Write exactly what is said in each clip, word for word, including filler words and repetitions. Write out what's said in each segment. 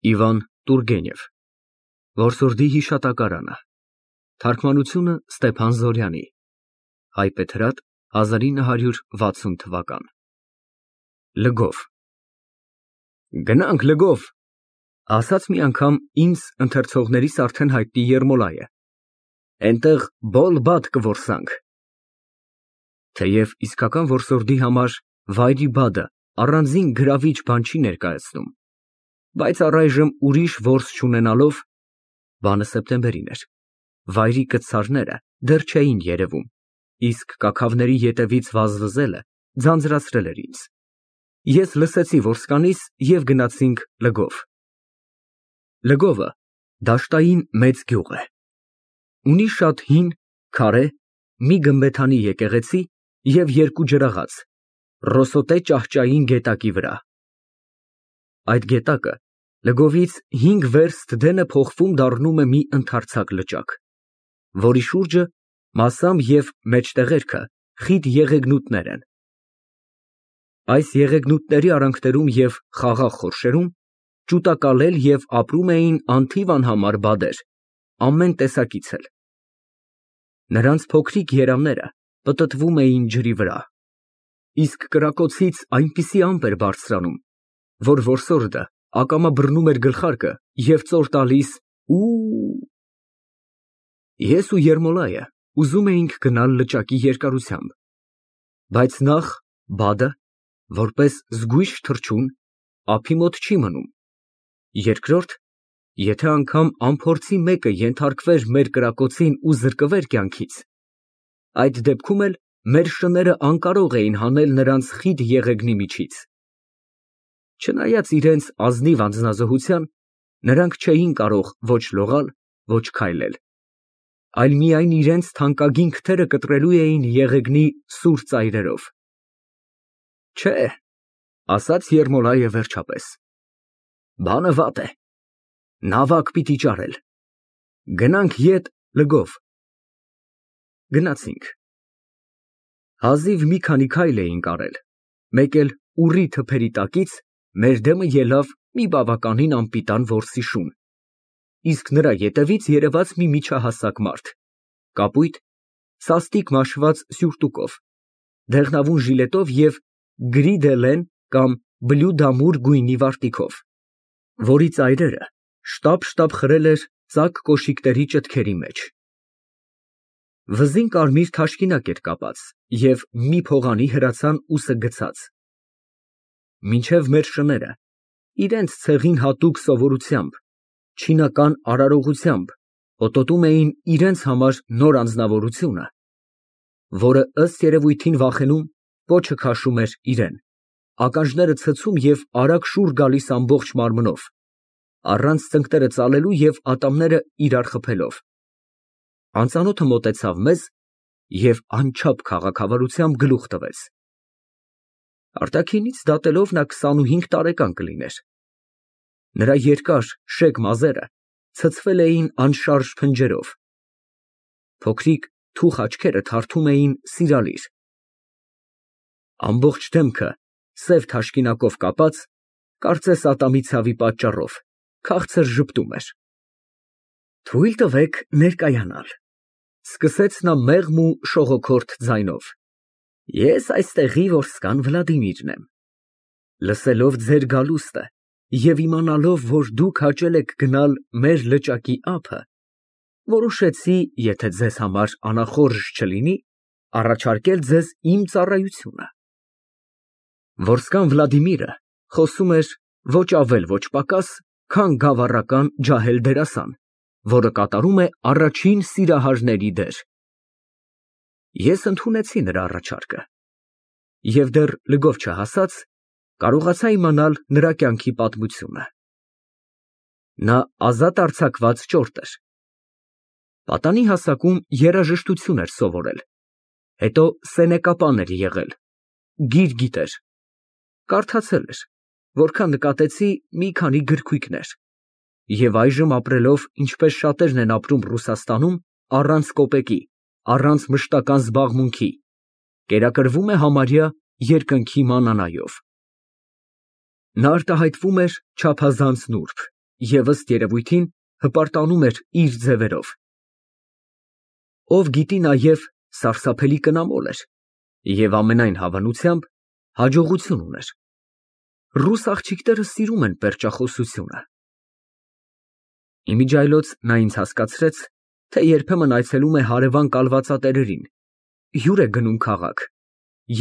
Իվան Տուրգենև Որսորդի հիշատակարանը Թարգմանությունը Ստեփան Զորյանի Հայբեթրատ հազար ինը հարյուր վաթսուն թվական Լգով Գնանք Լգով ասաց մի անգամ ինձ ընթերցողներիս արդեն հայտնի Երմոլայը Էնտեղ բոլ-բադ կորսանք Թեև իսկական որսորդի համար վայրի բադը առանձին գրավիչ բան չի ներկայացնում Բայց առայժմ ուրիշ որս չունենալով, բանը սեպտեմբերին էր, վայրի կցարները դեռ չէին երևում, իսկ կաքավների ետևից վազվզելը ձանձրացրել էր ինձ։ Ես լսեցի որսկանից և գնացինք Լգով։ Լգովը դաշտային մեծ գյուղ է։ Ունի շատ հին, քարե, մի գմբեթանի եկեղեցի և երկու ջրաղաց, ռոսոտե ճահճային գետակի վրա։ Այդ գետակը Լգովից հինգ վերստ դենը փոխվում դառնում է մի ընդարձակ լճակ, որի շուրջը մասամբ և մեջտեղերքը խիտ եղեգնուտներ են։ Այս եղեգնուտների արանքներում և խաղաղ խորշերում ճուտակալել և ապրում էին անթիվ անհամար բադեր, ամեն տեսակից էլ։ Նրանց փոքրիկ երամները պտտվում էին ջրի վրա, իսկ կրակոցից այնպիսի ամպ էր բարձրանում, որ որսորդը ակամա բռնում էր գլխարկը և ծոր տալիս ու… Ես ու Երմոլայը ուզում էինք գնալ լճակի երկարությամբ, բայց նախ բադը, որպես զգույշ թռչուն, ափի մոտ չի մնում, երկրորդ, եթե անգամ անփորձի մեկը ենթարկվեր մեր կրակոցին ու զրկվեր կյանքից, այդ դեպքում էլ մեր շները անկարող էին հանել նրանց խիտ եղեգնի միջից։ Չնայած իրենց ազնիվ անձնազոհության, նրանք չէին կարող ոչ լողալ, ոչ քայլել, այլ միայն իրենց թանկագին քթերը կտրելու էին եղեգնի սուր ծայրերով։ Չէ, ասաց Երմոլայը վերջապես, բանը վատ է, նավակ պիտի ճարել, գնանք ետ Լգով։ Գնացինք։ Հազիվ մի քանի քայլ էինք արել, մեկ էլ ուռի թփերի տակից մեր դեմը ելավ մի բավականին անպիտան որսի շուն, իսկ նրա ետևից երևաց մի միջահասակ մարդ, կապույտ, սաստիկ մաշված սյուրտուկով, դեղնավուն ժիլետով և գրի դե լեն կամ բլու դամուր գույնի վարտիքով, որի ծայրերը շտապ֊շտապ խրել էր ծակ կոշիկների ճտքերի մեջ։ Վզին կարմիր թաշկինակ էր կապած և մի փողանի հրացան ուսը գցած։ Մինչև մեր շները, իրենց ցեղին հատուկ սովորությամբ, չինական արարողությամբ հոտոտում էին իրենց համար նոր անձնավորությունը, որը ըստ երևույթին վախենում, պոչը քաշում էր իրեն, ականջները ցցում և արագ շուռ գալիս ամբողջ մարմնով, առանց ծնկները ծալելու և ատամները իրար խփելով։ Անծանոթը մոտեցավ մեզ և անչափ քաղաքավարությամբ գլուխ տվեց։ Արտաքինից դատելով նա քսանուհինգ տարեկան կլիներ։ Նրա երկար, շեկ մազերը ցցվել էին անշարժ փնջերով։ Փոքրիկ թուխ աչքերը թարթում էին սիրալիր։ Ամբողջ դեմքը սև թաշկինակով կապած, կարծես ատամի ցավի պատճառով, քաղցր ժպտում էր։ Թույլ տվեք ներկայանալ, սկսեց նա մեղմ ու շողոքորթ ձայնով, ես այստեղի որսկան Վլադիմիրն եմ։ Լսելով ձեր գալուստը և իմանալով, որ դուք հաճել եք գնալ մեր լճակի ափը, որոշեցի, եթե ձեզ համար անախորժ չլինի, առաջարկել ձեզ իմ ծառայությունը։ Որսկան Վլադիմիրը խոսում էր ոչ ավել, ոչ պակաս, քան գավառական ջահել դերասան, որը կատարում է առաջին սիրահարների դեր։ Ես ընդունեցի նրա առաջարկը և դեռ Լգով չհասած, կարողացա իմանալ նրա կյանքի պատմությունը։ Նա ազատ արձակված ճորտ էր։ Պատանի հասակում երաժշտություն էր սովորել, հետո սենեկապան էր եղել, գիր գիտեր, կարդացել էր, որքան նկատեցի մի քանի գրքույկներ, և այժմ ապրելով, ինչպես շատերն են ապրում Ռուսաստանում, առանց կոպեկի, առանց մշտական զբաղմունքի, կերակրվում է համարյա երկնքի մանանայով։ Նա արտահայտվում էր չափազանց նուրբ, և ըստ երևույթին հպարտանում էր իր ձևերով։ Ով գիտի նաև սարսափելի կնամոլ էր և ամենայն հավանությամբ հաջողություն ուներ։ Ռուս աղջիկները սիրում են պերճախոսությունը։ Իմիջիայլոց նա ինձ հասկացրեց, թե երբեմն այցելում է հարևան կալվածատերերին, հյուր է գնում քաղաք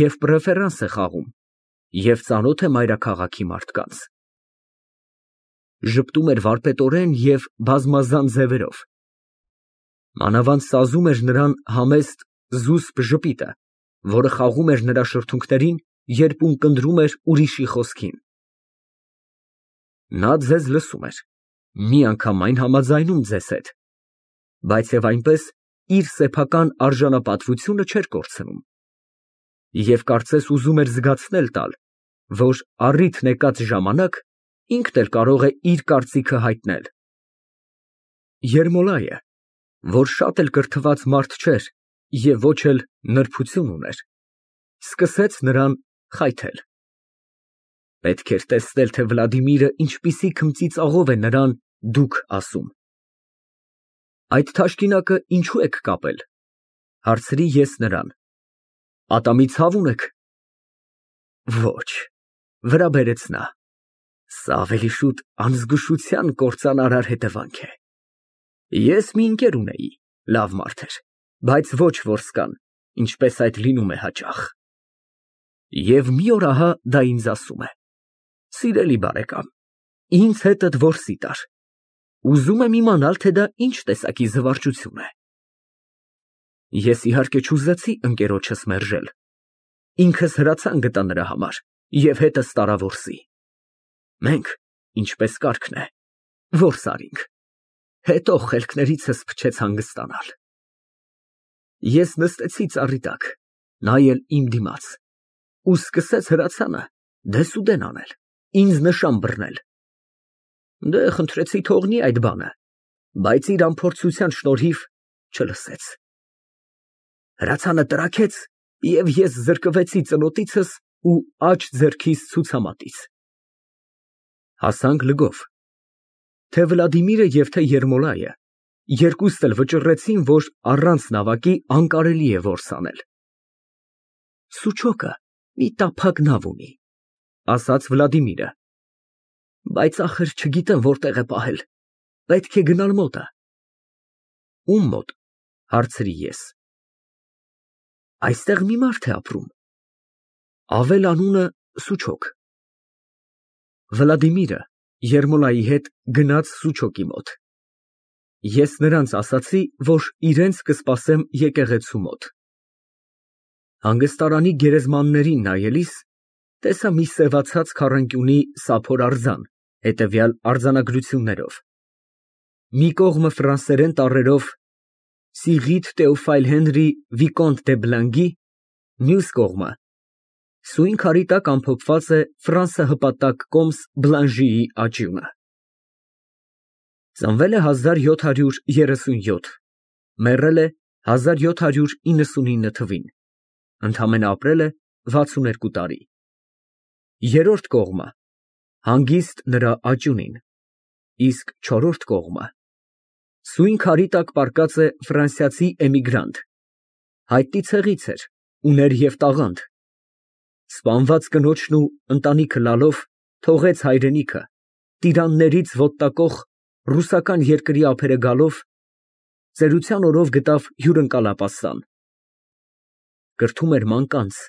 և պրեֆերանս է խաղում և ծանոթ է մայրաքաղաքի մարդկանց։ Ժպտում էր վարպետորեն և բազմազան ձևերով։ Մանավանդ սազում էր նրան համեստ զուսպ ժպիտը, որը խաղում էր նրա շրթունքներին, երբ ունկնդրում էր ուրիշի խոսքին։ Նա ձեզ լսում էր, միանգամայն համաձայնում ձեզ հետ, բայց և այնպես իր սեփական արժանապատվությունը չէր կորցնում, և կարծես ուզում էր զգացնել տալ, որ առիթն եկած ժամանակ ինքն էլ կարող է իր կարծիքը հայտնել։ Երմոլայը, որ շատ էլ կրթված մարդ չէր և ոչ էլ նրբություն ուներ, սկսեց նրան խայթել։ Պետք էր տեսնել, թե Վլադիմիրը ինչպիսի քմծիծաղով է նրան «դուք» ասում։ Այդ թաշկինակը ինչո՞ւ եք կապել, հարցրի ես նրան։ Պատամի ցավ ունե՞ք։ Ոչ, վրա բերեց նա, սա ավելի շուտ անզգուշության կործանարար հետևանք է։ Ես մի ընկեր ունեի, լավ մարդ էր, բայց ոչ որսկան, ինչպես այդ լինում է հաճախ։ Եվ մի օր ահա դա ինձ ասում է. «Սիրելի բարեկամ, ինձ հետդ որսի տար։ Ուզում եմ իմանալ, թե դա ինչ տեսակի զվարճություն է»։ Ես իհարկե չուզեցի ընկերոջս մերժել։ Ինքս հրացան գտա նրա համար և հետս տարա որսի։ Մենք, ինչպես կարգն է, որս արինք, հետո խելքներիցս փչեց հանգստանալ։ Ես նստեցի ծառի տակ, նա էլ իմ դիմաց, ու սկսեց հրացանը դեսուդեն անել, ինձ նշան բռնել։ Դե, խնդրեցի թողնի այդ բանը, բայց իր անփորձության շնորհիվ չլսեց։ Հրացանը տրաքեց, և ես զրկվեցի ծնոտիցս ու աջ ձեռքիս ցուցամատից։ Հասանք լգով։ Թե Վլադիմիրը և թե Երմոլայը երկուստ էլ վճռեցին, որ առանց նավակի անկարելի է որս անել։ Սուչոկը մի տափակ նավ ունի, ասաց Վլադիմիրը, բայց ախր չգիտեմ որտեղ է պահել, պետք է գնալ մոտը։ Ում մոտ, հարցրի ես։ Այստեղ մի մարդ է ապրում, ավել անունը Սուչոկ։ Վլադիմիրը Երմոլայի հետ գնաց Սուչոկի մոտ։ Ես նրանց ասացի, որ իրենց կսպասեմ եկեղեցու մոտ։ Հանգստարանի գերեզմաններին նայելիս տեսա մի սևացած քառանկյունի սափոր արձան, հետևյալ արձանագրություններով. մի կողմը ֆրանսերեն տառերով Սիղիթ Տեոֆայլ Հենրի Վիկոնտ դե Բլանգի, մյուս կողմը սույն քարի տակ ամփոփված է Ֆրանսա հպատակ կոմս Բլանժիի աճյունը։ Ծնվել է հազար յոթ հարյուր երեսունյոթ, մեռել է հազար յոթ հարյուր իննսունինը թվին, ընդամենը ապրել է վաթսունութ տարի։ Երրորդ կողմը հանգիստ նրա աճյունին, իսկ չորրորդ կողմը սույն քարի տակ պառկած է ֆրանսիացի էմիգրանտ, հայտնի ցեղից էր, ուներ և տաղանդ, սպանված կնոջն ու ընտանիքը լալով թողեց հայրենիքը, տիրաններից ոտտակող ռուսական երկրի ափերը գալով, ծերության օրով գտավ հյուրընկալ ապաստան։ Կրթում էր մանկանց,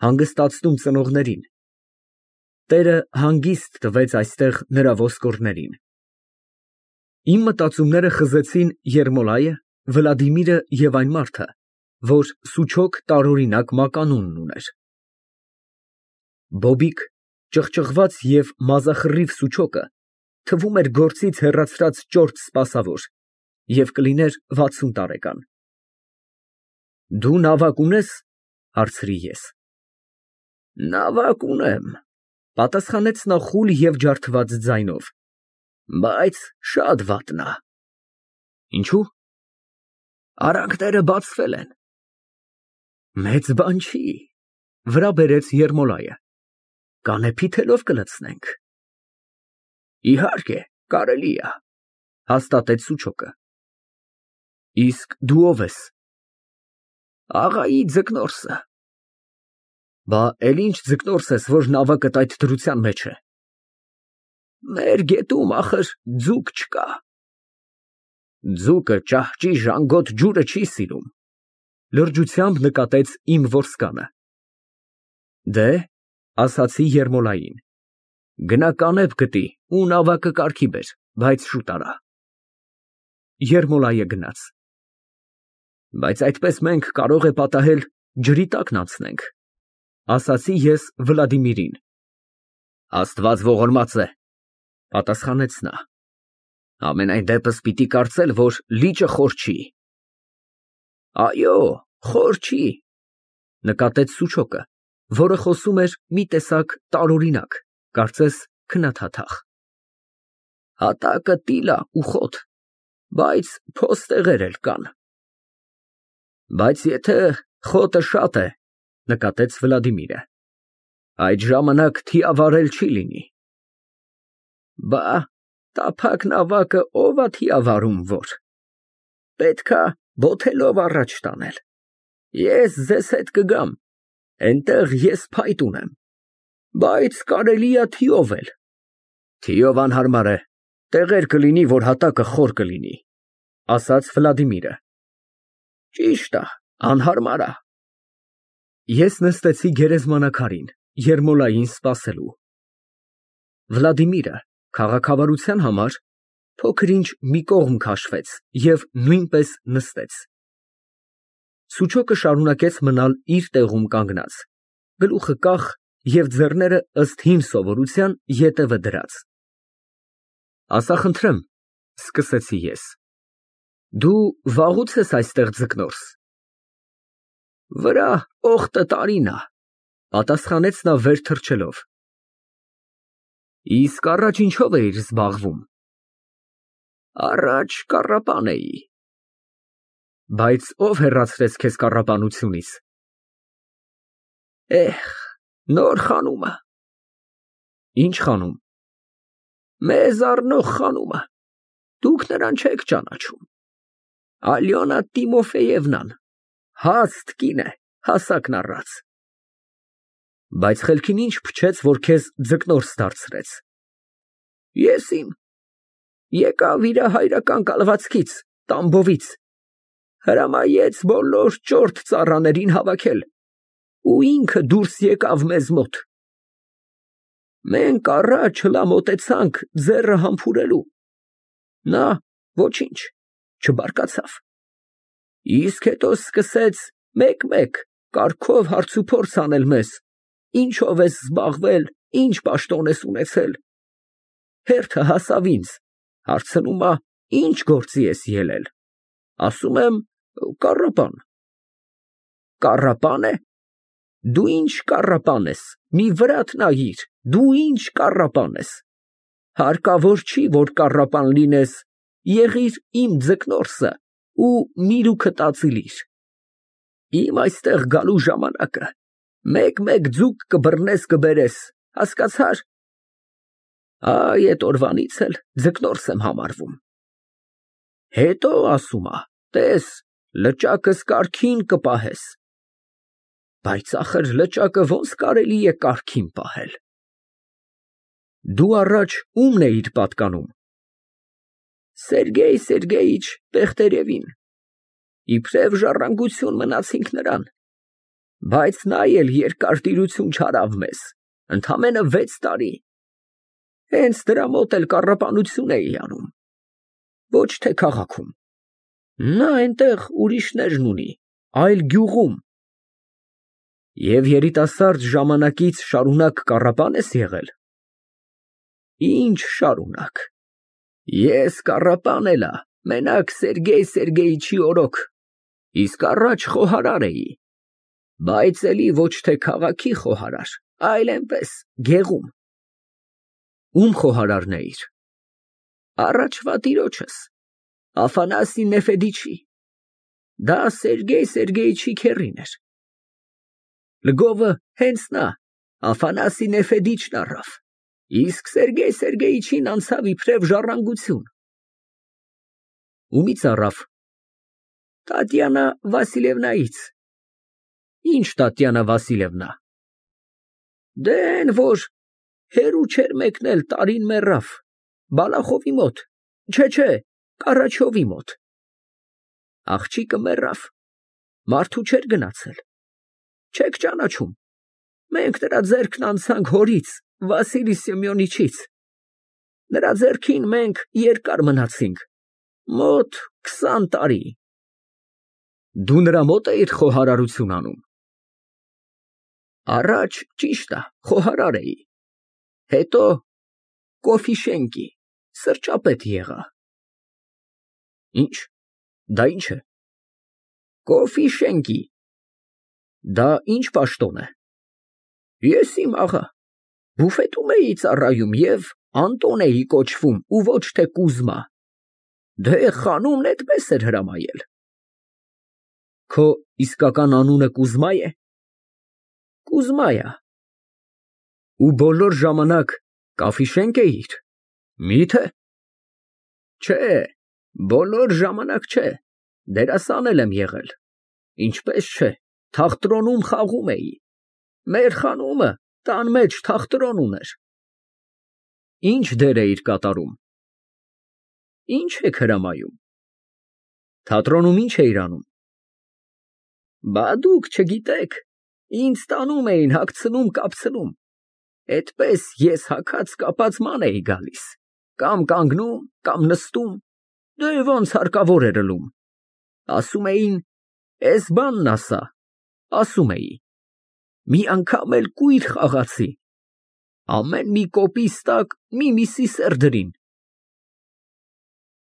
հանգստացնում ծնողներին։ Տերը հանգիստ տվեց այստեղ նրա ոսկորներին։ Իմ մտածումները խզեցին Երմոլայը, Վլադիմիրը և այն մարդը, որ Սուչոկ տարօրինակ մականունն ուներ։ Բոբիկ, ճղճղված և մազախռիվ Սուչոկը թվում էր գործից հեռացրած ճորտ սպասավոր և կլիներ վաթսուն տարեկան։ Դու նավակ ունե՞ս, հարցրի ես։ Նավակ ունեմ, պատասխանեց նա խուլ և ջարդված ձայնով, բայց շատ վատն ա։ Ինչո՞ւ։ Արանքները բացվել են։ Մեծ բան չի, վրա բերեց Երմոլայը, կանեփի թելով կլցնենք։ Իհարկե, կարելի է, հաստատեց Սուչոկը։ Իսկ դու ով ես։ Աղայի ձկնորսը։ Բա էլ ինչ ձկնորս ես, որ նավակդ այդ դրության մեջ է։ Մեր գետում ախր ձուկ չկա։ Ձուկը ճահճի ժանգոտ ջուրը չի սիրում, լրջությամբ նկատեց իմ որսկանը։ Դե, ասացի Երմոլային, գնա կանեփ գտի ու նավակը կարգի բեր, բայց շուտ արա։ Երմոլայը գնաց։ Բայց այդպես մենք կարող է պատահել ջրի տակն անցնենք, ասացի ես Վլադիմիրին։ Աստված ողորմած է, պատասխանեց նա։ Ամենայն դեպս պիտի կարծել, որ լիճը խոր չի։ Այո, խոր չի, նկատեց Սուչոկը, որը խոսում էր մի տեսակ տարօրինակ, կարծես քննադատախ։ Հատակը տիլա ու խոտ, բայց փոստեղեր էլ կան։ Բայց եթե խոտը շատ է, նկատեց Վլադիմիրը, այդ ժամանակ թիավարել չի լինի։ Բա, տափակ նավակը ով է թիավարում, որ։ Պետքա բոթելով առաջ տանել։ Ես ձեզ հետ կգամ, այնտեղ ես փայտ ունեմ, բայց կարելի է թիով էլ։ Թիով անհարմար է, տեղեր կլինի, որ հատակը խոր կլինի, ասաց Վլադիմիրը։ Ճիշտ է, անհարմար է։ Ես նստեցի գերեզմանակարին, Երմոլային սպասելու։ Վլադիմիրը քաղաքավարության համար փոքր-ինչ մի կողմ քաշվեց և նույնպես նստեց։ Սուչոկը շարունակեց մնալ իր տեղում կանգնած, գլուխը կախ և ձեռները ըստ հին սովորության ետևը դրած։ Ասա խնդրեմ, սկսեցի ես, դու վաղուց ես այստեղ ձկնորս։ Վրա օխտը տարին է, պատասխանեց նա վեր թռչելով։ Իսկ առաջ ինչով էիր զբաղվում։ Առաջ կառապան էի։ Բայց ով հեռացրեց քեզ կառապանությունից։ Էհ, նոր խանումը։ Ինչ խանում։ Մեզ առնող խանումը, դուք նրան չեք ճանաչում։ Ալյոնա Տիմոֆեևնան, հաստ կին է, հասակն առած։ Բայց խելքին ինչ փչեց, որ քեզ ձկնորս դարձրեց։ Ես իմ, եկավ իր հայրական կալվածքից, Տամբովից, հրամայեց բոլոր ճորտ ծառաներին հավաքել, ու ինքը դուրս եկավ մեզ մոտ։ Մենք առաջ հլամոտեցանք ձեռը համբուրելու։ Նա ոչինչ, չբարկացավ։ Իսկ հետո սկսեց մեկ-մեկ կարգով հարցուփորձ անել մեզ, ինչով ես զբաղվել, ինչ պաշտոն ես ունեցել։ Հերթը հասավ ինձ, հարցնում է, ինչ գործի ես ելել։ Ասում եմ, կառապան։ Կառապան է։ Դու ինչ կառապան ես, մի վրատ նայիր, դու ինչ կառապան ես։ Հարկավոր չի, որ կառապան լինես, եղիր իմ ձկնորսը ու միրուքը տածիլիր։ Իմ այստեղ գալու ժամանակը մեկ-մեկ ձուկ կբռնես կբերես, հասկացար։ Այ էդ օրվանից էլ ձկնորս եմ համարվում։ Հետո ասում է, տես, լճակս կարգին կպահես։ Բայց ախր լճակը ոնց կարելի է կարգին պահել։ Դու առաջ ումն էիր պատկանում։ Սերգեյ Սերգեյիչ Պեխտերևին։ Իբրև ժառանգություն մնացինք նրան։ Բայց նա էլ երկար տիրություն չարավ մեզ, ընդամենը վեց տարի։ Հենց դրա մոտ էլ կառապանություն էի անում։ Ոչ թե քաղաքում։ Նա այնտեղ ուրիշներն ունի, այլ գյուղում։ Եվ երիտասարդ ժամանակից շարունակ կառապան ես եղել։ Ինչ շարունակ։ Ես կառապան էլա, մենակ Սերգեյ Սերգեյիչի օրոք, իսկ առաջ խոհարար էի։ Բայց էլի ոչ թե քաղաքի խոհարար, այլ այնպես, գեղում։ Ում խոհարարն էիր։ Առաջվա տիրոջս, Աֆանասի Նեֆեդիչի։ Դա Սերգեյ Սերգեյիչի քեռին էր։ Լգովը հենց նա, Աֆանասի Նեֆեդիչն առավ, Իսկ Սերգեյ Սերգեյիչին անցավ իբրև ժառանգություն։ Ումից առավ։ Տատյանա Վասիլևնայից։ Ինչ Տատյանա Վասիլևնա։ Դե էն որ հերու չէր մեկնել, տարին մեռավ, Բալախովի մոտ, չէ, չէ, Կառաչովի մոտ։ Աղջիկը մեռավ, մարդու չէր գնացել, չեք ճանաչում, մենք նրա ձեռքն անցանք հորից, Վասիլի Սեմյոնիչից, նրա ձեռքին մենք երկար մնացինք, մոտ քսան տարի։ Դու նրա մոտ էիր խոհարարություն անում։ Առաջ ճիշտ է, խոհարար էի, հետո Կոֆիշենկի, սրճապետ եղա։ Ինչ, դա ինչ է։ Կոֆիշենկի, դա ինչ պաշտոն է։ Ես իմ աղա, բուֆետում էի ծառայում և Անտոն էի կոչվում ու ոչ թե Կուզմա, դե խանումն էդպես էր հրամայել։ Քո իսկական անունը Կուզմա է։ Կուզմա է։ Ու բոլոր ժամանակ Կաֆիշենկ էիր։ Մի՞թե։ Չէ, բոլոր ժամանակ չէ, դերասան էլ եմ եղել, ինչպես չէ, թատրոնում խաղում էի, մեր խանումը տան մեջ թատրոն ուներ։ Ինչ դեր էիր կատարում։ Ինչ եք հրամայում։ Թատրոնում ինչ էիր անում։ Բա դուք չգիտեք, ինձ տանում էին հագցնում կապցնում, էդպես ես հագած կապած ման էի գալիս, կամ կանգնում, կամ նստում, դե ոնց հարկավոր էր ըլում։ Ասում էին, էս բանն ասա, ասում էի։ Մի անգամ էլ կույր խաղացի, ամեն մի կոպիս տակ մի միսի սեր դրին,